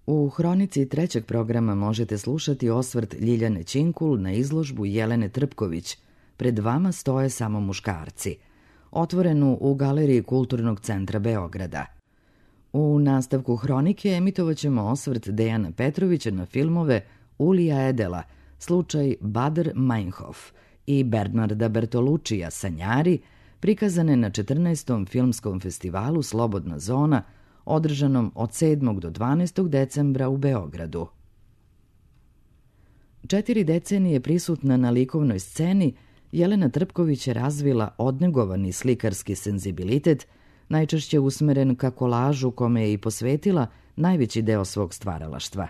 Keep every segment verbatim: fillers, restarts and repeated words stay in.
U hronici trećeg programa možete slušati osvrt Ljiljane Ćinkul na izložbu Jelene Trpković Pred vama stoje samo muškarci, otvorenu u Galeriji Kulturnog centra Beograda. U nastavku hronike emitovaćemo osvrt Dejana Petrovića na filmove Ulija Edela, slučaj Bader Meinhof i Bernarda Bertolučija Sanjari, prikazane na četrnaestom filmskom festivalu Slobodna zona, održanom od sedmog do dvanaestog decembra u Beogradu. Četiri decenije prisutna na likovnoj sceni, Jelena Trpković je razvila odnegovani slikarski senzibilitet, najčešće usmeren ka kolažu kome je i posvetila najveći deo svog stvaralaštva.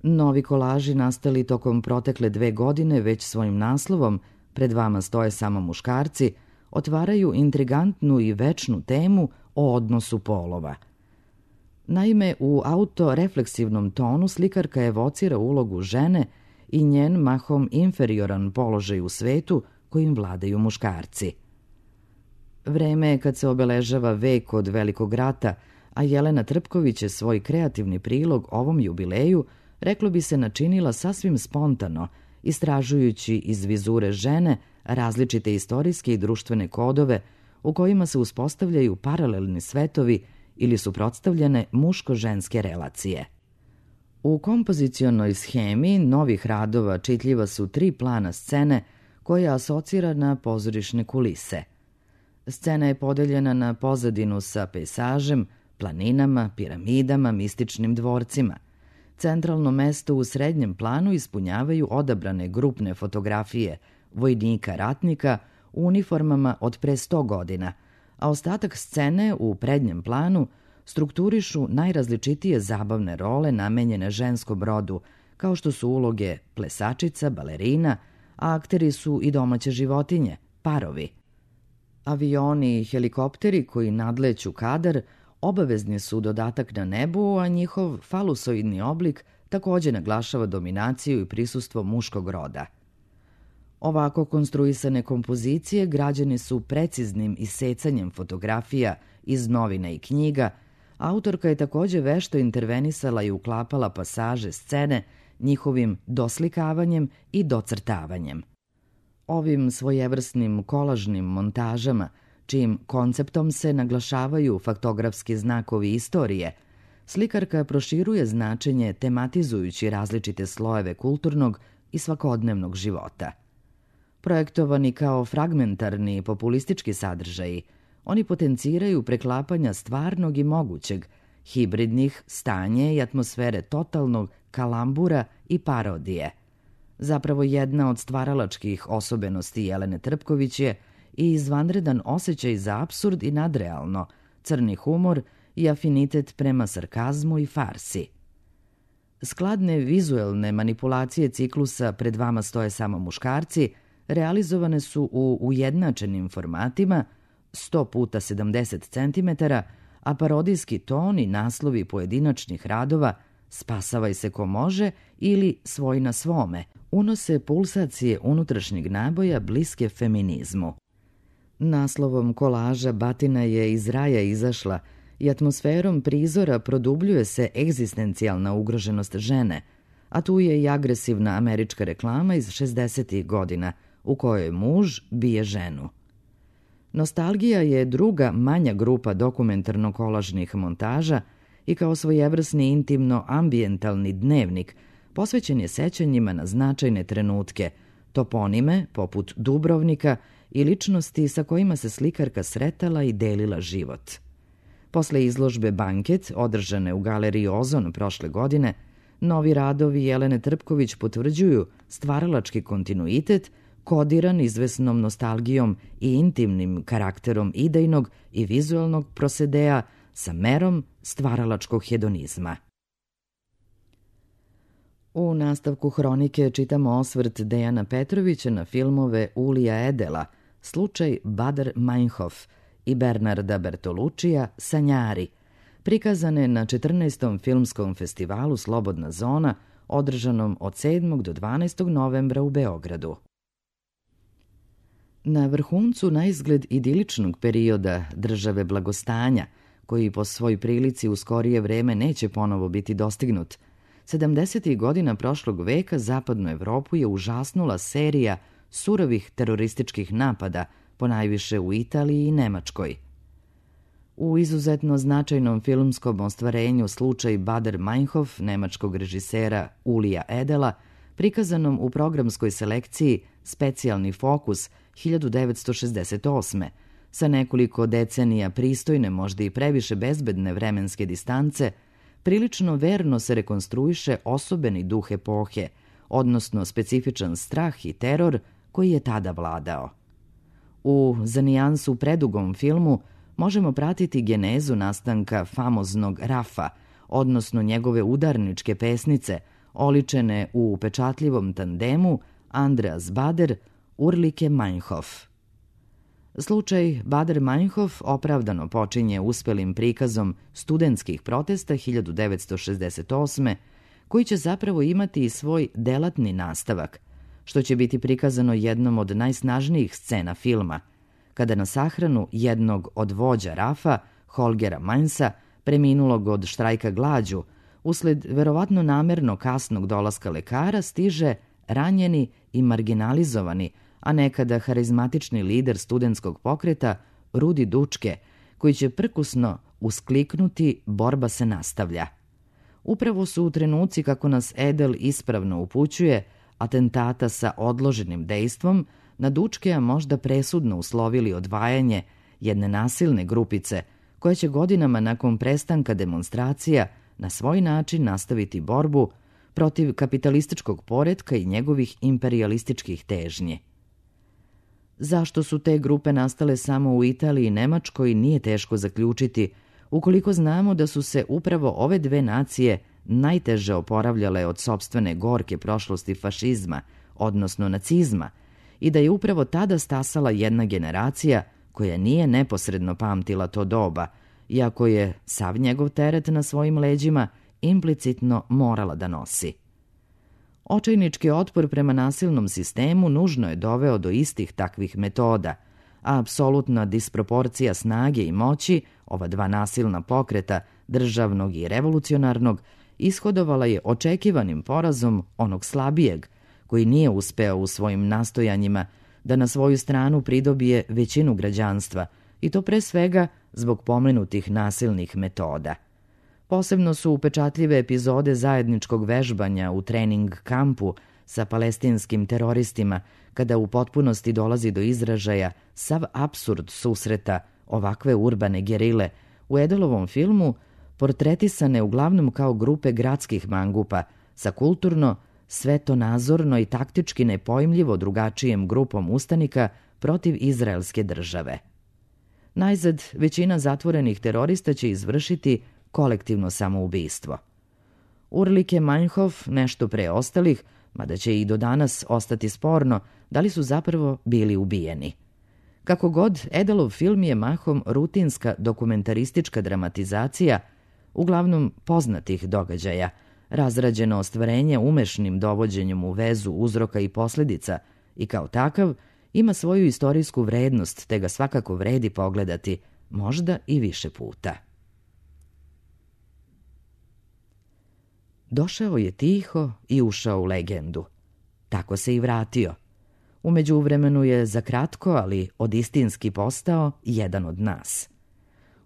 Novi kolaži nastali tokom protekle dve godine već svojim naslovom Pred vama stoje samo muškarci, otvaraju intrigantnu i večnu temu o odnosu polova. Naime, u autorefleksivnom tonu slikarka evocira ulogu žene i njen mahom inferioran položaj u svetu kojim vladaju muškarci. Vreme je kad se obeležava vek od Velikog rata, a Jelena Trpković je svoj kreativni prilog ovom jubileju, reklo bi se, načinila sasvim spontano, istražujući iz vizure žene različite istorijske i društvene kodove u kojima se uspostavljaju paralelni svetovi ili suprotstavljene muško-ženske relacije. U kompozicionoj shemi novih radova čitljiva su tri plana scene koja asocira na pozorišne kulise. Scena je podeljena na pozadinu sa pejsažem, planinama, piramidama, mističnim dvorcima. Centralno mesto u srednjem planu ispunjavaju odabrane grupne fotografije vojnika ratnika u uniformama od pre sto godina, a ostatak scene u prednjem planu strukturišu najrazličitije zabavne role namenjene ženskom rodu, kao što su uloge plesačica, balerina, a akteri su i domaće životinje, parovi. Avioni i helikopteri koji nadleću kadar obavezni su dodatak na nebu, a njihov falusoidni oblik takođe naglašava dominaciju i prisustvo muškog roda. Ovako konstruisane kompozicije građene su preciznim isecanjem fotografija iz novina i knjiga. Autorka je takođe vešto intervenisala i uklapala pasaže scene njihovim doslikavanjem i docrtavanjem. Ovim svojevrsnim kolažnim montažama, čijim konceptom se naglašavaju faktografski znakovi istorije, slikarka proširuje značenje tematizujući različite slojeve kulturnog i svakodnevnog života. Projektovani kao fragmentarni i populistički sadržaji, oni potenciraju preklapanja stvarnog i mogućeg, hibridnih, stanje i atmosfere totalnog kalambura i parodije. Zapravo jedna od stvaralačkih osobenosti Jelene Trpković je i izvanredan osjećaj za apsurd i nadrealno, crni humor i afinitet prema sarkazmu i farsi. Skladne vizuelne manipulacije ciklusa Pred vama stoje samo muškarci realizovane su u ujednačenim formatima sto puta sedamdeset centimetara, a parodijski ton i naslovi pojedinačnih radova Spasavaj se ko može ili Svoj na svome unose pulsacije unutrašnjeg naboja bliske feminizmu. Naslovom kolaža Batina je iz raja izašla i atmosferom prizora produbljuje se egzistencijalna ugroženost žene, a tu je i agresivna američka reklama iz šezdesetih godina u kojoj muž bije ženu. Nostalgija je druga manja grupa dokumentarno-kolažnih montaža i kao svojevrsni intimno-ambijentalni dnevnik posvećen je sećanjima na značajne trenutke, toponime poput Dubrovnika i ličnosti sa kojima se slikarka sretala i delila život. Posle izložbe Banket, održane u Galeriji Ozon prošle godine, novi radovi Jelene Trpković potvrđuju stvaralački kontinuitet kodiran izvesnom nostalgijom i intimnim karakterom idejnog i vizualnog prosedea sa merom stvaralačkog hedonizma. U nastavku hronike čitamo osvrt Dejana Petrovića na filmove Ulija Edela, slučaj Bader Meinhof i Bernarda Bertolučija Sanjari, prikazane na četrnaestom filmskom festivalu Slobodna zona, održanom od sedmog do dvanaestog novembra u Beogradu. Na vrhuncu naizgled idiličnog perioda države blagostanja, koji po svoj prilici u skorije vreme neće ponovo biti dostignut. sedamdesetih godina prošlog veka zapadnu Evropu je užasnula serija surovih terorističkih napada, ponajviše u Italiji i Nemačkoj. U izuzetno značajnom filmskom ostvarenju Slučaj Bader Meinhof nemačkog režisera Ulija Edela, prikazanom u programskoj selekciji Specijalni fokus hiljadu devetsto šezdeset osme, sa nekoliko decenija pristojne, možda i previše bezbedne vremenske distance, prilično verno se rekonstruiše osobeni duh epohe, odnosno specifičan strah i teror koji je tada vladao. U za nijansu predugom filmu možemo pratiti genezu nastanka famoznog Rafa, odnosno njegove udarničke pesnice, oličene u upečatljivom tandemu Andreas Bader, Ulrike Meinhof. Slučaj Bader Meinhof opravdano počinje uspelim prikazom studentskih protesta hiljadu devetsto šezdeset osme, koji će zapravo imati i svoj delatni nastavak, što će biti prikazano jednom od najsnažnijih scena filma, kada na sahranu jednog od vođa Rafa, Holgera Mainsa, preminulog od štrajka glađu, usled verovatno namerno kasnog dolaska lekara, stiže ranjeni i marginalizovani, a nekada harizmatični lider studentskog pokreta Rudi Dučke, koji će prkusno uskliknuti borba se nastavlja. Upravo su u trenuci, kako nas Edel ispravno upućuje, atentata sa odloženim dejstvom, na Dučkeja možda presudno uslovili odvajanje jedne nasilne grupice koja će godinama nakon prestanka demonstracija na svoj način nastaviti borbu protiv kapitalističkog poretka i njegovih imperialističkih težnji. Zašto su te grupe nastale samo u Italiji i Nemačkoj nije teško zaključiti, ukoliko znamo da su se upravo ove dve nacije najteže oporavljale od sopstvene gorke prošlosti fašizma, odnosno nacizma, i da je upravo tada stasala jedna generacija koja nije neposredno pamtila to doba, iako je sav njegov teret na svojim leđima implicitno morala da nosi. Očajnički otpor prema nasilnom sistemu nužno je doveo do istih takvih metoda, a apsolutna disproporcija snage i moći ova dva nasilna pokreta, državnog i revolucionarnog, ishodovala je očekivanim porazom onog slabijeg, koji nije uspeo u svojim nastojanjima da na svoju stranu pridobije većinu građanstva, i to pre svega zbog pomenutih nasilnih metoda. Posebno su upečatljive epizode zajedničkog vežbanja u trening kampu sa palestinskim teroristima, kada u potpunosti dolazi do izražaja sav apsurd susreta ovakve urbane gerile, u Edelovom filmu portretisane uglavnom kao grupe gradskih mangupa sa kulturno, svetonazorno i taktički nepojmljivo drugačijem grupom ustanika protiv izraelske države. Najzad, većina zatvorenih terorista će izvršiti kolektivno samoubistvo. Ulrike Meinhof, nešto pre ostalih, mada će i do danas ostati sporno, da li su zapravo bili ubijeni. Kako god, Edelov film je mahom rutinska dokumentaristička dramatizacija, uglavnom poznatih događaja, razrađeno ostvarenje umešnim dovođenjem u vezu uzroka i posljedica, i kao takav ima svoju istorijsku vrednost, te ga svakako vredi pogledati, možda i više puta. Došao je tiho i ušao u legendu. Tako se i vratio. U međuvremenu je za kratko, ali odistinski postao jedan od nas.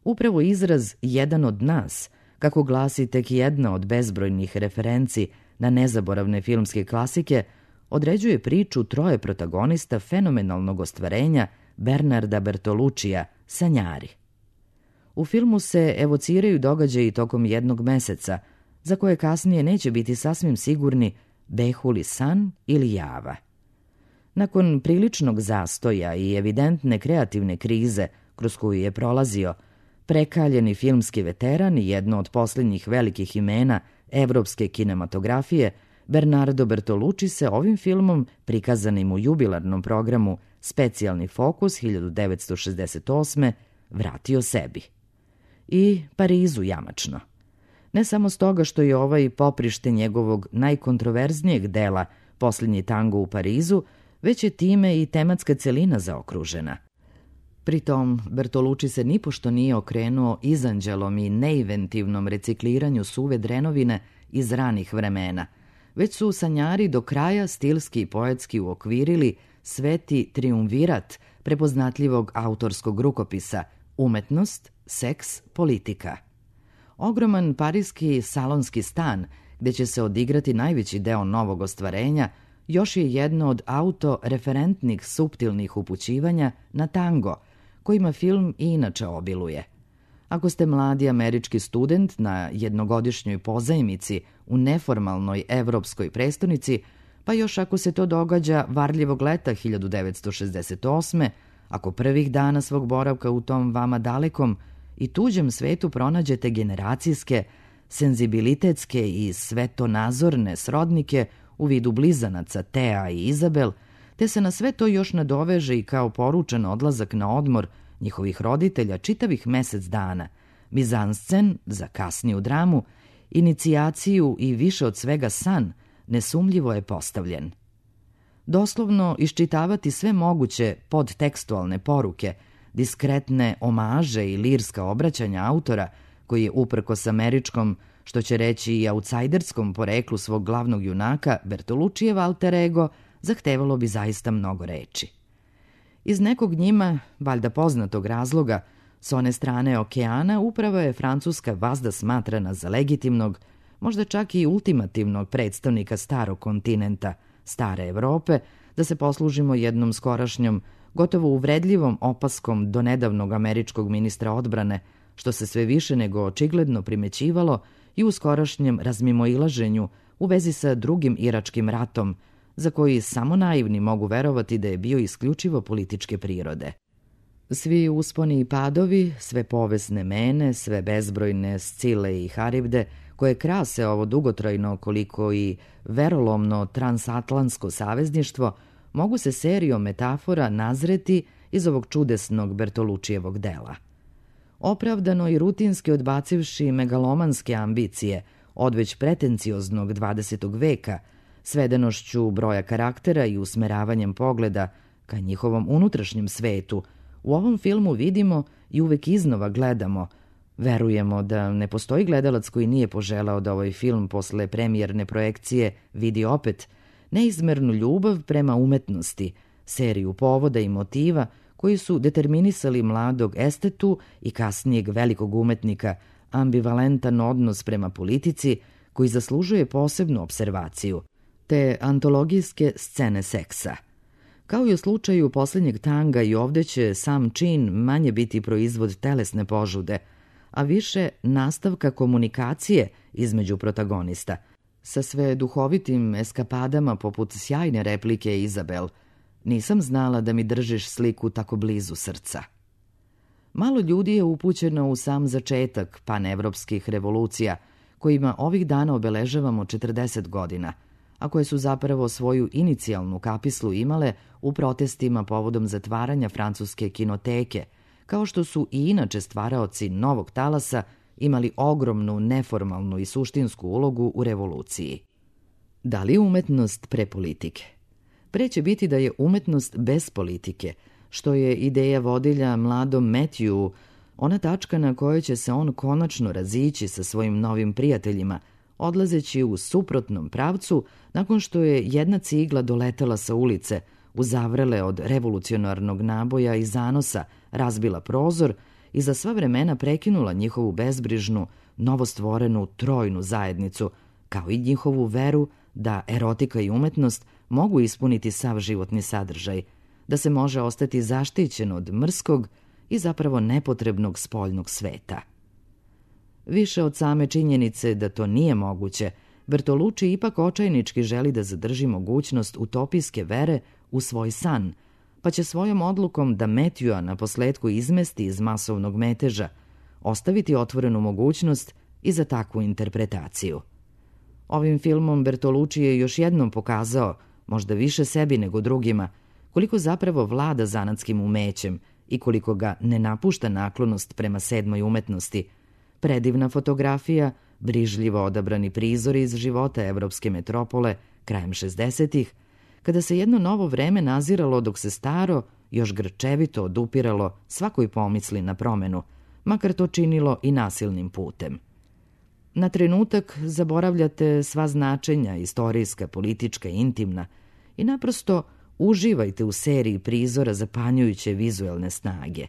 Upravo izraz jedan od nas, kako glasi tek jedna od bezbrojnih referenci na nezaboravne filmske klasike, određuje priču troje protagonista fenomenalnog ostvarenja Bernarda Bertolucija, Sanjari. U filmu se evociraju događaji tokom jednog meseca, za koje kasnije neće biti sasvim sigurni behu li san ili java. Nakon priličnog zastoja i evidentne kreativne krize kroz koju je prolazio, prekaljeni filmski veteran i jedno od posljednjih velikih imena evropske kinematografije, Bernardo Bertolucci se ovim filmom, prikazanim u jubilarnom programu Specijalni fokus hiljadu devetsto šezdeset osme, vratio sebi. I Parizu jamačno. Ne samo stoga što je ovaj poprište njegovog najkontroverznijeg dela Posljednji tango u Parizu, već je time i tematska celina zaokružena. Pritom, Bertolucci se nipošto nije okrenuo izanđelom i neinventivnom recikliranju suve drenovine iz ranih vremena, već su sanjari do kraja stilski i poetski uokvirili sveti triumvirat prepoznatljivog autorskog rukopisa umetnost, seks, politika. Ogroman pariski salonski stan, gde će se odigrati najveći deo novog ostvarenja, još je jedno od autoreferentnih suptilnih upućivanja na tango, kojima film i inače obiluje. Ako ste mladi američki student na jednogodišnjoj pozajmici u neformalnoj evropskoj prestonici, pa još ako se to događa varljivog leta hiljadu devetsto šezdeset osme, ako prvih dana svog boravka u tom vama dalekom i tuđem svetu pronađete generacijske, senzibilitetske i svetonazorne srodnike u vidu blizanaca Tea i Izabel, te se na sve to još nadoveže i kao poručen odlazak na odmor njihovih roditelja čitavih mesec dana, mizanscen za kasniju dramu, inicijaciju i više od svega san, nesumljivo je postavljen. Doslovno iščitavati sve moguće podtekstualne poruke, diskretne omaže i lirska obraćanja autora, koji je uprkos američkom, što će reći i autsajderskom poreklu svog glavnog junaka, Bertoluccijev alter ego, zahtevalo bi zaista mnogo reči. Iz nekog njima, valjda poznatog razloga, s one strane okeana upravo je francuska vazda smatrana za legitimnog, možda čak i ultimativnog predstavnika starog kontinenta, stare Evrope, da se poslužimo jednom skorašnjom, gotovo uvredljivom opaskom do nedavnog američkog ministra odbrane, što se sve više nego očigledno primećivalo i u skorašnjem razmimoilaženju u vezi sa drugim iračkim ratom, za koji samo naivni mogu verovati da je bio isključivo političke prirode. Svi usponi i padovi, sve povesne mene, sve bezbrojne Scile i Haribde, koje krase ovo dugotrajno koliko i verolomno transatlantsko savezništvo, mogu se serijom metafora nazreti iz ovog čudesnog Bertoluccijevog dela. Opravdano i rutinski odbacivši megalomanske ambicije od već pretencioznog dvadesetog veka, svedenošću broja karaktera i usmeravanjem pogleda ka njihovom unutrašnjem svetu, u ovom filmu vidimo i uvek iznova gledamo, verujemo da ne postoji gledalac koji nije poželao da ovaj film posle premijerne projekcije vidi opet, neizmernu ljubav prema umetnosti, seriju povoda i motiva koji su determinisali mladog estetu i kasnijeg velikog umetnika ambivalentan odnos prema politici koji zaslužuje posebnu observaciju, te antologijske scene seksa. Kao i u slučaju posljednjeg tanga, i ovde će sam čin manje biti proizvod telesne požude, a više nastavka komunikacije između protagonista, sa sve duhovitim eskapadama poput sjajne replike Izabel: "Nisam znala da mi držiš sliku tako blizu srca." Malo ljudi je upućeno u sam začetak panevropskih revolucija, kojima ovih dana obeležavamo četrdeset godina, a koje su zapravo svoju inicijalnu kapislu imale u protestima povodom zatvaranja francuske kinoteke, kao što su i inače stvaraoci novog talasa imali ogromnu neformalnu i suštinsku ulogu u revoluciji. Da li umetnost pre politike? Pre će biti da je umetnost bez politike, što je ideja vodilja mladom Matthew, ona tačka na kojoj će se on konačno razići sa svojim novim prijateljima, odlazeći u suprotnom pravcu nakon što je jedna cigla doletela sa ulice, uzavrele od revolucionarnog naboja i zanosa, razbila prozor i za sva vremena prekinula njihovu bezbrižnu, novostvorenu trojnu zajednicu, kao i njihovu veru da erotika i umetnost mogu ispuniti sav životni sadržaj, da se može ostati zaštićen od mrskog i zapravo nepotrebnog spoljnog sveta. Više od same činjenice da to nije moguće, Bertolucci ipak očajnički želi da zadrži mogućnost utopijske vere u svoj san, pa će svojom odlukom da Matthewa na posledku izmesti iz masovnog meteža, ostaviti otvorenu mogućnost i za takvu interpretaciju. Ovim filmom Bertolucci je još jednom pokazao, možda više sebi nego drugima, koliko zapravo vlada zanatskim umećem i koliko ga ne napušta naklonost prema sedmoj umetnosti. Predivna fotografija, brižljivo odabrani prizori iz života evropske metropole krajem šezdesetih, kada se jedno novo vreme naziralo dok se staro još grčevito odupiralo svakoj pomisli na promenu, makar to činilo i nasilnim putem. Na trenutak zaboravljate sva značenja, istorijska, politička, intimna, i naprosto uživajte u seriji prizora zapanjujuće vizuelne snage.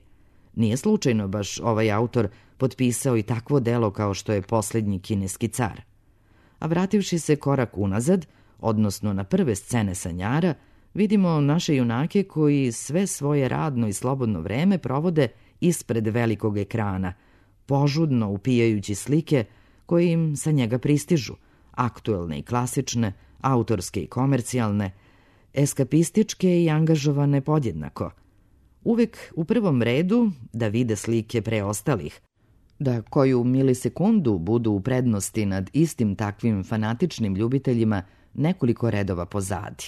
Nije slučajno baš ovaj autor potpisao i takvo delo kao što je Poslednji kineski car. A vrativši se korak unazad, odnosno na prve scene Sanjara, vidimo naše junake koji sve svoje radno i slobodno vreme provode ispred velikog ekrana, požudno upijajući slike koje im sa njega pristižu, aktuelne i klasične, autorske i komercijalne, eskapističke i angažovane podjednako. Uvek u prvom redu da vide slike preostalih, da koju milisekundu budu u prednosti nad istim takvim fanatičnim ljubiteljima nekoliko redova pozadi.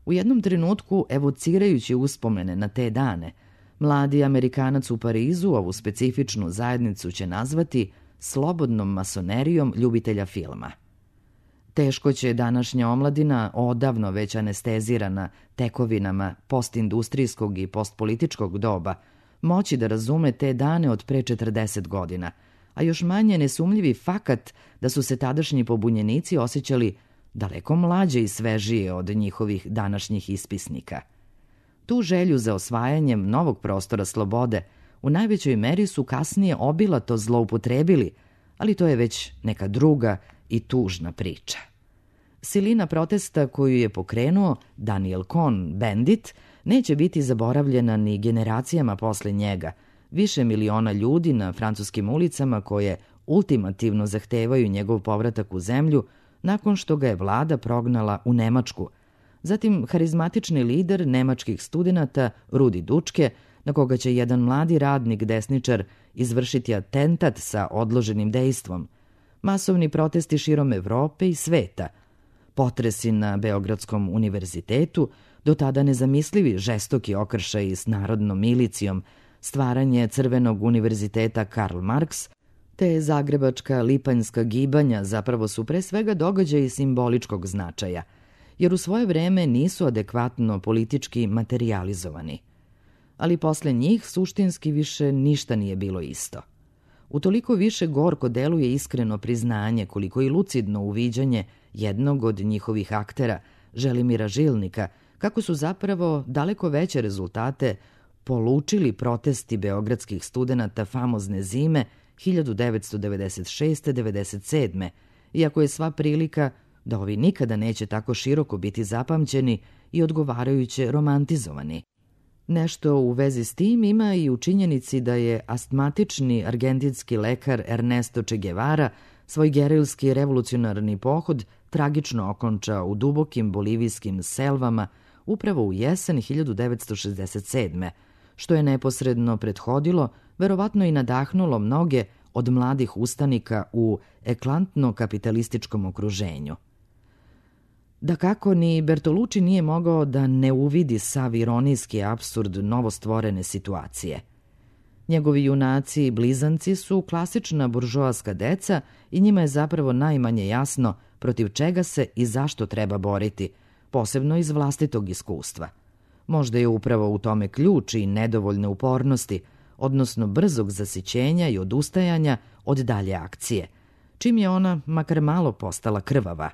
U jednom trenutku, evocirajući uspomene na te dane, mladi Amerikanac u Parizu ovu specifičnu zajednicu će nazvati slobodnom masonerijom ljubitelja filma. Teško će današnja omladina, odavno već anestezirana tekovinama postindustrijskog i postpolitičkog doba, moći da razume te dane od pre četrdeset godina, a još manje nesumljivi fakat da su se tadašnji pobunjenici osjećali daleko mlađe i svežije od njihovih današnjih ispisnika. Tu želju za osvajanjem novog prostora slobode u najvećoj meri su kasnije obilato zloupotrebili, ali to je već neka druga i tužna priča. Silina protesta koju je pokrenuo Daniel Cohn-Bendit neće biti zaboravljena ni generacijama posle njega, više miliona ljudi na francuskim ulicama koje ultimativno zahtevaju njegov povratak u zemlju nakon što ga je vlada prognala u Nemačku. Zatim harizmatični lider nemačkih studenata Rudi Dučke, na koga će jedan mladi radnik desničar izvršiti atentat sa odloženim dejstvom, masovni protesti širom Evrope i sveta, potresi na Beogradskom univerzitetu, do tada nezamislivi žestoki okršaji s narodnom milicijom, stvaranje Crvenog univerziteta Karl Marx, te zagrebačka lipanjska gibanja zapravo su pre svega događaji simboličkog značaja, jer u svoje vreme nisu adekvatno politički materijalizovani. Ali posle njih suštinski više ništa nije bilo isto. Utoliko više gorko deluje iskreno priznanje koliko i lucidno uviđanje jednog od njihovih aktera, Želimira Žilnika, kako su zapravo daleko veće rezultate polučili protesti beogradskih studenata famozne zime hiljadu devetsto devedeset šeste devedeset sedme, iako je sva prilika da ovi nikada neće tako široko biti zapamćeni i odgovarajuće romantizovani. Nešto u vezi s tim ima i u činjenici da je astmatični argentinski lekar Ernesto Che Guevara svoj gerilski revolucionarni pohod tragično okončao u dubokim bolivijskim selvama upravo u jesen hiljadu devetsto šezdeset sedme, što je neposredno prethodilo, verovatno i nadahnulo mnoge od mladih ustanika u eklantno-kapitalističkom okruženju. Dakako, ni Bertolucci nije mogao da ne uvidi sav ironijski apsurd novostvorene situacije. Njegovi junaci i blizanci su klasična buržoaska deca i njima je zapravo najmanje jasno protiv čega se i zašto treba boriti, posebno iz vlastitog iskustva. Možda je upravo u tome ključ i nedovoljne upornosti, odnosno brzog zasićenja i odustajanja od dalje akcije, čim je ona makar malo postala krvava.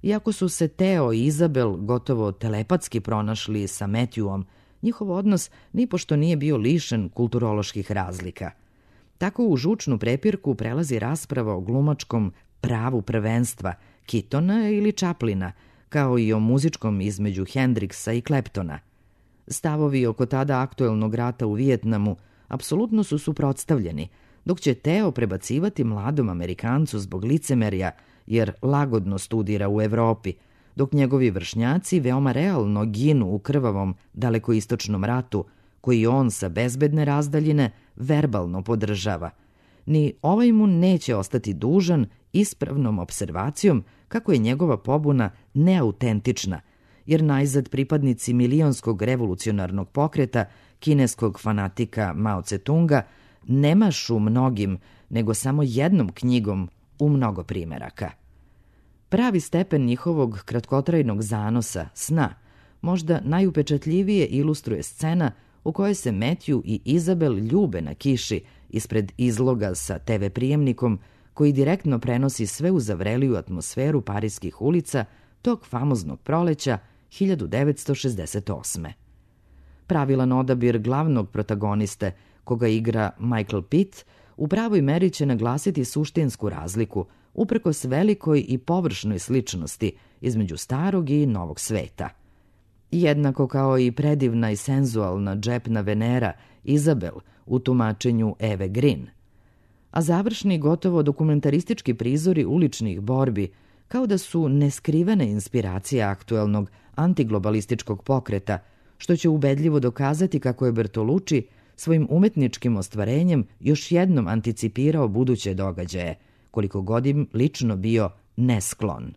Iako su se Teo i Izabel gotovo telepatski pronašli sa Matthewom, njihov odnos nipošto nije bio lišen kulturoloških razlika. Tako u žučnu prepirku prelazi rasprava o glumačkom pravu prvenstva Keatona ili Chaplina, kao i o muzičkom između Hendrixa i Claptona. Stavovi oko tada aktuelnog rata u Vijetnamu apsolutno su suprotstavljeni, dok će Teo prebacivati mladom Amerikancu zbog licemerja, jer lagodno studira u Evropi, dok njegovi vršnjaci veoma realno ginu u krvavom dalekoistočnom ratu, koji on sa bezbedne razdaljine verbalno podržava. Ni ovaj mu neće ostati dužan ispravnom observacijom kako je njegova pobuna neautentična, jer najzad pripadnici milionskog revolucionarnog pokreta, kineskog fanatika Mao Tse-tunga, ne mašu mnogim, nego samo jednom knjigom u mnogo primeraka. Pravi stepen njihovog kratkotrajnog zanosa, sna, možda najupečatljivije ilustruje scena u kojoj se Matthew i Izabel ljube na kiši ispred izloga sa te ve prijemnikom koji direktno prenosi sve u zavreliju atmosferu pariskih ulica tog famoznog proleća hiljadu devetsto šezdeset osme. Pravilan odabir glavnog protagoniste, koga igra Michael Pitt, u pravoj meri će naglasiti suštinsku razliku, uprkos velikoj i površnoj sličnosti između starog i novog sveta. Jednako kao i predivna i senzualna džepna Venera Izabel u tumačenju Eve Green. A završni, gotovo dokumentaristički prizori uličnih borbi, kao da su neskrivene inspiracije aktuelnog antiglobalističkog pokreta, što će ubedljivo dokazati kako je Bertolucci svojim umetničkim ostvarenjem još jednom anticipirao buduće događaje, koliko god im lično bio nesklon.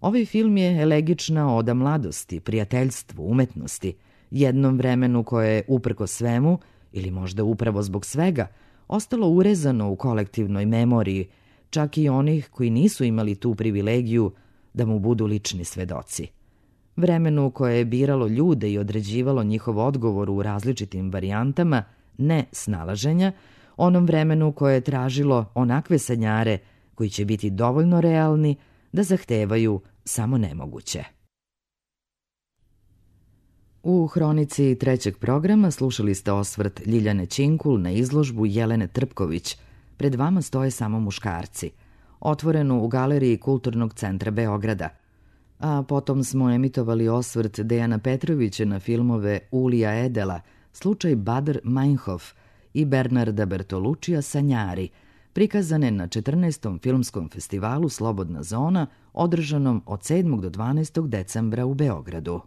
Ovaj film je elegična oda mladosti, prijateljstvu, umetnosti, jednom vremenu koje je uprko svemu, ili možda upravo zbog svega, ostalo urezano u kolektivnoj memoriji, čak i onih koji nisu imali tu privilegiju da mu budu lični svedoci. Vremenu koje je biralo ljude i određivalo njihov odgovor u različitim varijantama, ne snalaženja, onom vremenu koje je tražilo onakve sanjare koji će biti dovoljno realni da zahtevaju samo nemoguće. U hronici trećeg programa slušali ste osvrt Ljiljane Činkul na izložbu Jelene Trpković Pred vama stoje samo muškarci, otvorenu u Galeriji Kulturnog centra Beograda. A potom smo emitovali osvrt Dejana Petrovića na filmove Ulija Edela, Slučaj Badr Meinhof i Bernarda Bertolucija Sanjari, prikazane na četrnaestom filmskom festivalu Slobodna zona, održanom od sedmog do dvanaestog decembra u Beogradu.